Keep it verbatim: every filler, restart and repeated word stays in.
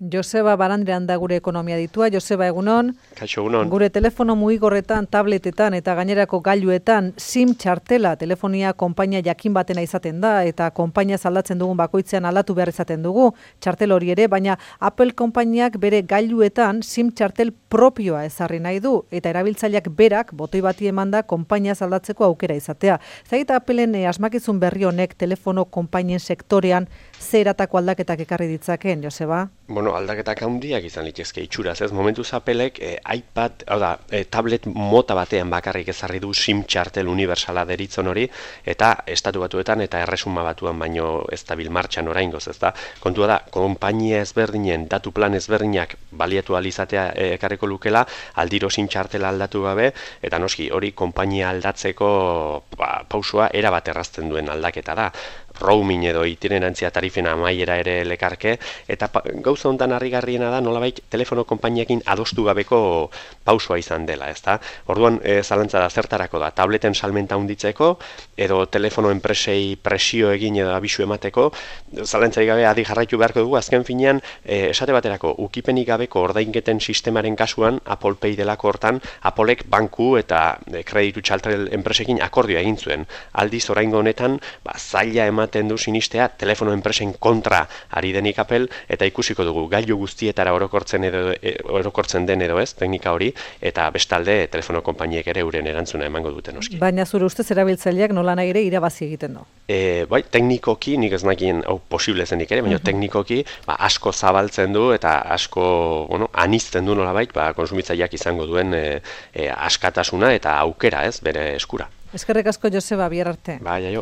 Joseba Barandrean da gure ekonomia ditua. Joseba, egunon. Kaixo, egunon. Gure telefono mugigorretan, tabletetan eta gainerako gailuetan SIM txartela telefonia konpainia jakin batena izaten da eta konpainia aldatzen dugun bakoitzean aldatu behar izaten dugu txartel hori ere, baina Apple konpainiak bere gailuetan SIM txartel propioa ezarri nahi du eta erabiltzaileak berak botoi bati emanda konpainia aldatzeko aukera izatea. Zagita Appleen eh, asmakizun berri honek telefono konpainien sektorean ze eratako aldaketak ekarri ditzakeen, Joseba? Bueno, aldaketak handiak izan litezke itxuraz, ez? Momentuz Applek eh, iPad, hau da, eh, tablet mota batean bakarrik ezarri du SIM txartel universala deritzon hori, eta estatu batuetan eta erresuma batuan baino ez dabil martxan oraingoz, ez da? Kontua da, konpainia ezberdinen, datu plan ezberdinak baliatu alizatea eh, ekarriko lukela, aldiro SIM txartela aldatu gabe, eta noski, hori konpainia aldatzeko ba, pausua erabat errazten duen aldaketa da. Roaming edo itinerantzia tarifen amaiera ere lekarke, eta pa, gauza hontan harrigarriena da nolabait telefono konpainiekin adostu gabeko pausua izan dela, ezta? Orduan, e, zalantza da zertarako da, tableten salmenta handitzeko, edo telefono enpresei presio egin edo abisu emateko, zalantzai gabe adi jarraitu beharko dugu, azken finean, e, esate baterako, ukipenik gabeko ordainketen sistemaren kasuan, Apple Pay delako hortan, Applek banku eta e, kreditu txartel enpresekin akordioa egin zuen. Aldiz, oraingo honetan, ba, zaila ematen du sinistea telefono enpresen kontra ari denik Apple, eta ikusiko dugu gailu guztietara orokortzen edo e, orokortzen den edo ez teknika hori, eta bestalde telefono konpainiek ere euren erantzuna emango duten noski. Baina zure ustez erabiltzaileak nola nahi ere irabazi egiten du. E, bai, teknikoki, nik ez nakien hau posible zenik ere, baina uh-huh. teknikoki ba, asko zabaltzen du eta asko bueno, anizten du nolabait, ba, konsumitzaileak izango duen e, e, askatasuna eta aukera ez bere eskura. Eskerrik asko, Joseba, bihar arte. Bai, aio.